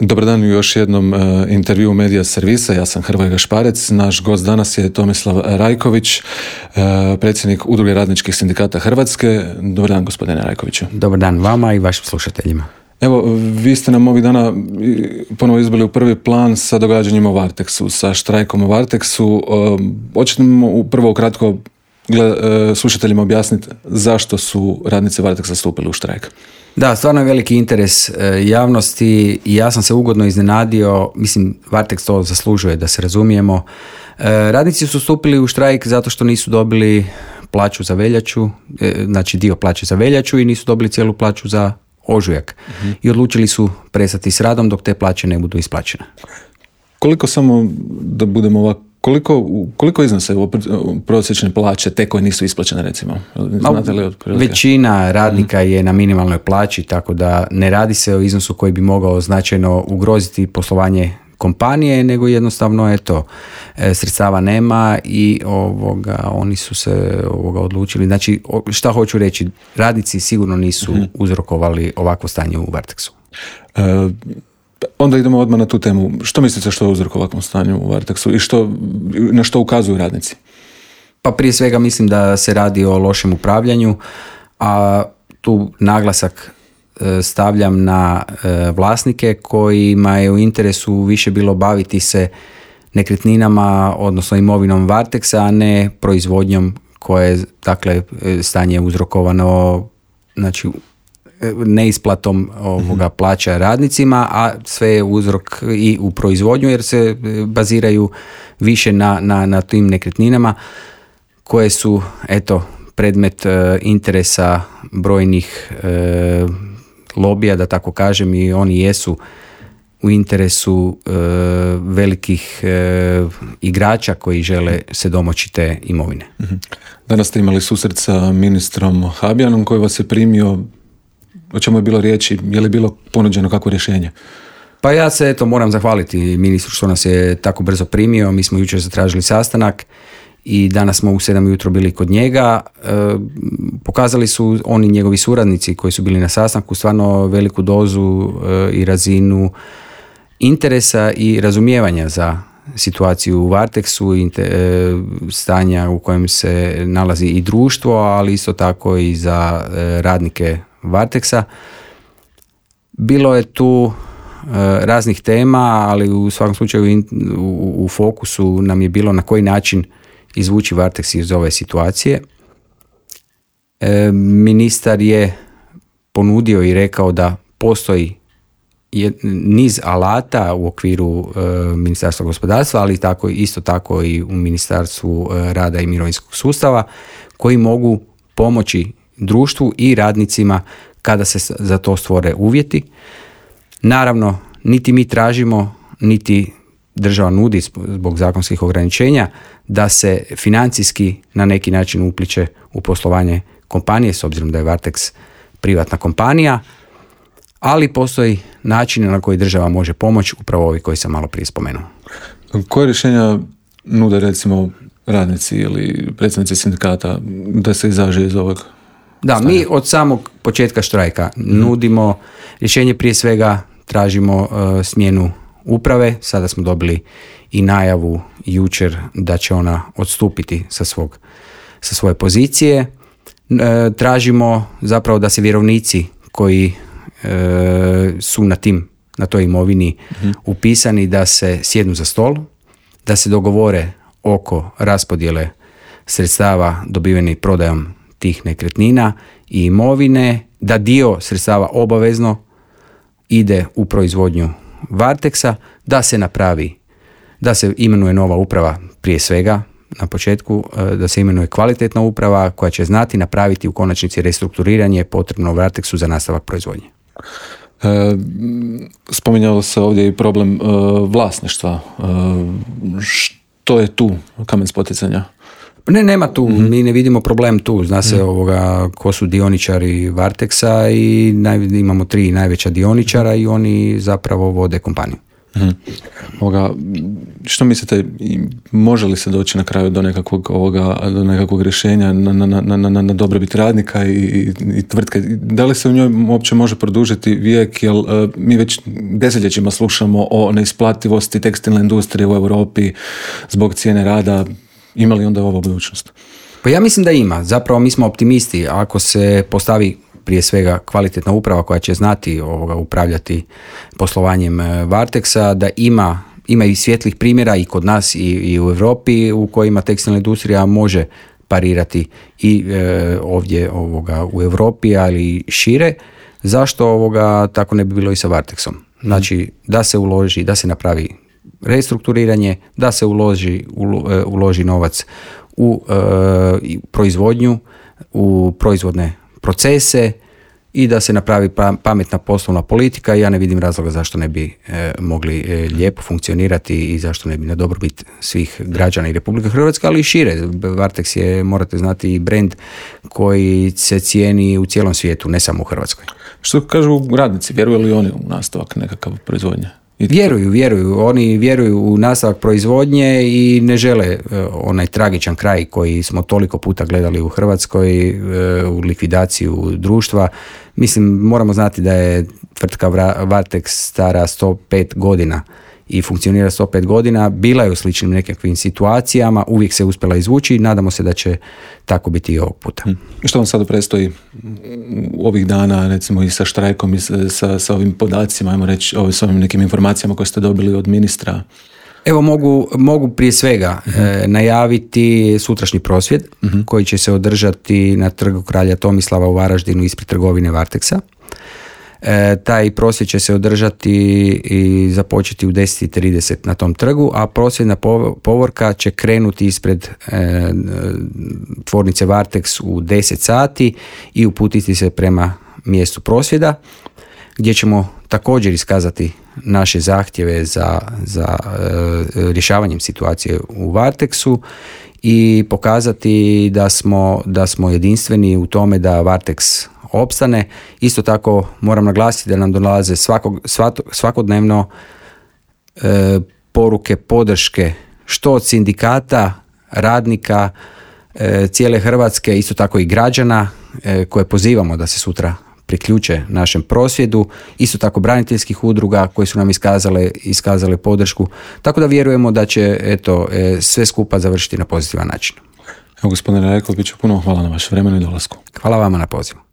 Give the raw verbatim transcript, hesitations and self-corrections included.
Dobar dan u još jednom uh, intervju Medija servisa. Ja sam Hrvoje Gašparec. Naš gost danas je Tomislav Rajković, uh, predsjednik Udruge radničkih sindikata Hrvatske. Dobar dan, gospodine Rajkoviću. Dobar dan vama i vašim slušateljima. Evo, vi ste nam ovih dana ponovo izbili u prvi plan sa događanjima u Varteksu, sa štrajkom u Varteksu. Uh, hoćete nam prvo ukratko gled, uh, slušateljima objasniti zašto su radnici Varteksa stupili u štrajk? Da, stvarno je veliki interes javnosti i ja sam se ugodno iznenadio, mislim, Varteks to zaslužuje, da se razumijemo. Radnici su stupili u štrajk zato što nisu dobili plaću za veljaču, znači dio plaće za veljaču i nisu dobili cijelu plaću za ožujak. Uh-huh. I odlučili su prestati s radom dok te plaće ne budu isplaćene. Koliko samo da budemo ovako, Koliko, koliko iznose prosječne plaće te koje nisu isplaćene, recimo? Znate li otprilike? Većina radnika je na minimalnoj plaći, tako da ne radi se o iznosu koji bi mogao značajno ugroziti poslovanje kompanije, nego jednostavno eto, sredstava nema i ovoga, oni su se ovoga odlučili. Znači, šta hoću reći, radnici sigurno nisu uh-huh. uzrokovali ovakvo stanje u Varteksu. Uh, Onda idemo odmah na tu temu. Što mislite što je uzrok ovakvom stanju u Varteksu i što, na što ukazuju radnici? Pa prije svega mislim da se radi o lošem upravljanju, a tu naglasak stavljam na vlasnike kojima je u interesu više bilo baviti se nekretninama, odnosno imovinom Varteksa, a ne proizvodnjom koje je, dakle, stanje uzrokovano, znači, neisplatom ovoga plaća radnicima, a sve je uzrok i u proizvodnju jer se baziraju više na, na, na tim nekretninama koje su eto predmet e, interesa brojnih e, lobija, da tako kažem, i oni jesu u interesu e, velikih e, igrača koji žele se domoći te imovine. Danas ste imali susret sa ministrom Habijanom koji vas je primio. O čemu je bilo riječi? Je li bilo ponuđeno kakvo rješenje? Pa ja se eto moram zahvaliti ministru što nas je tako brzo primio. Mi smo jučer zatražili sastanak i danas smo u sedam ujutro bili kod njega. E, pokazali su oni njegovi suradnici koji su bili na sastanku stvarno veliku dozu e, i razinu interesa i razumijevanja za situaciju u Varteksu, i e, stanja u kojem se nalazi i društvo, ali isto tako i za e, radnike Varteksa. Bilo je tu e, raznih tema, ali u svakom slučaju in, u, u fokusu nam je bilo na koji način izvući Varteks iz ove situacije. E, ministar je ponudio i rekao da postoji je, niz alata u okviru e, Ministarstva gospodarstva, ali tako, isto tako i u Ministarstvu e, rada i mirovinskog sustava, koji mogu pomoći društvu i radnicima kada se za to stvore uvjeti. Naravno, niti mi tražimo, niti država nudi zbog zakonskih ograničenja da se financijski na neki način upliče u poslovanje kompanije, s obzirom da je Varteks privatna kompanija, ali postoji način na koji država može pomoći, upravo ovi koji sam malo prije spomenuo. Koje rješenja nude, recimo, radnici ili predstavnici sindikata da se izađe iz ovog? Da, mi od samog početka štrajka nudimo rješenje, prije svega tražimo uh, smjenu uprave. Sada smo dobili i najavu jučer da će ona odstupiti sa, svog, sa svoje pozicije. Uh, tražimo zapravo da se vjerovnici koji uh, su na tim, na toj imovini uh-huh. upisani, da se sjednu za stol, da se dogovore oko raspodjele sredstava dobivenih prodajom tih nekretnina i imovine, da dio sredstava obavezno ide u proizvodnju Varteksa, da se napravi, da se imenuje nova uprava, prije svega na početku, da se imenuje kvalitetna uprava koja će znati napraviti u konačnici restrukturiranje potrebno Varteksu za nastavak proizvodnje. E, spominjalo se ovdje i problem e, vlasništva. E, što je tu kamen spoticanja? Ne, nema tu, mm-hmm. mi ne vidimo problem tu. Zna se mm-hmm. ovoga ko su dioničari Varteksa i naj, imamo tri najveća dioničara i oni zapravo vode kompaniju. Mhm. Ovoga, što mislite, može li se doći na kraju do nekakvog, ovoga, do nekakvog rješenja na, na, na, na, na dobrobit radnika i, i, i tvrtke? Da li se u njoj uopće može produžiti vijek, jer uh, mi već desetljećima slušamo o neisplativosti tekstilne industrije u Europi zbog cijene rada. Ima li onda ovo budućnost? Pa ja mislim da ima. Zapravo mi smo optimisti. Ako se postavi prije svega kvalitetna uprava koja će znati ovoga upravljati poslovanjem Varteksa, da ima, ima i svjetlih primjera i kod nas i, i u Europi u kojima tekstilna industrija može parirati i e, ovdje ovoga u Europi, ali i šire. Zašto ovoga tako ne bi bilo i sa Varteksom? Znači da se uloži, da se napravi restrukturiranje, da se uloži, ulo, uloži novac u e, proizvodnju, u proizvodne procese i da se napravi pametna poslovna politika. Ja ne vidim razloga zašto ne bi e, mogli e, lijepo funkcionirati i zašto ne bi na dobrobit svih građana i Republike Hrvatske, ali i šire. Varteks je, morate znati, i brand koji se cijeni u cijelom svijetu, ne samo u Hrvatskoj. Što kažu radnici, vjeruju li oni u nastavak nekakav proizvodnje? Vjeruju, vjeruju. Oni vjeruju u nastavak proizvodnje i ne žele uh, onaj tragičan kraj koji smo toliko puta gledali u Hrvatskoj, uh, u likvidaciju društva. Mislim, moramo znati da je tvrtka Varteks stara sto pet godina i funkcionira sto pet godina. Bila je u sličnim nekakvim situacijama, uvijek se uspjela izvući i nadamo se da će tako biti i ovog puta. I što vam sada predstoji ovih dana, recimo i sa štrajkom i sa, sa ovim podacima, ajmo reći, s ovim nekim informacijama koje ste dobili od ministra? Evo mogu, mogu prije svega uh-huh. e, najaviti sutrašnji prosvjed uh-huh. koji će se održati na trgu Kralja Tomislava u Varaždinu ispred trgovine Varteksa. E, taj prosvjed će se održati i započeti u deset i trideset na tom trgu, a prosvjedna povorka će krenuti ispred e, tvornice Varteks u deset sati i uputiti se prema mjestu prosvjeda, gdje ćemo također iskazati naše zahtjeve za, za e, rješavanjem situacije u Varteksu i pokazati da smo, da smo jedinstveni u tome da Varteks opstane. Isto tako moram naglasiti da nam dolaze svakog, svako, svakodnevno e, poruke podrške što od sindikata, radnika, e, cijele Hrvatske, isto tako i građana e, koje pozivamo da se sutra priključe našem prosvjedu, isto tako braniteljskih udruga koji su nam iskazale, iskazale podršku, tako da vjerujemo da će eto, e, sve skupa završiti na pozitivan način. Evo, gospodine Rajkoviću, puno hvala na vaše vremenu i dolasku. Hvala vama na pozivu.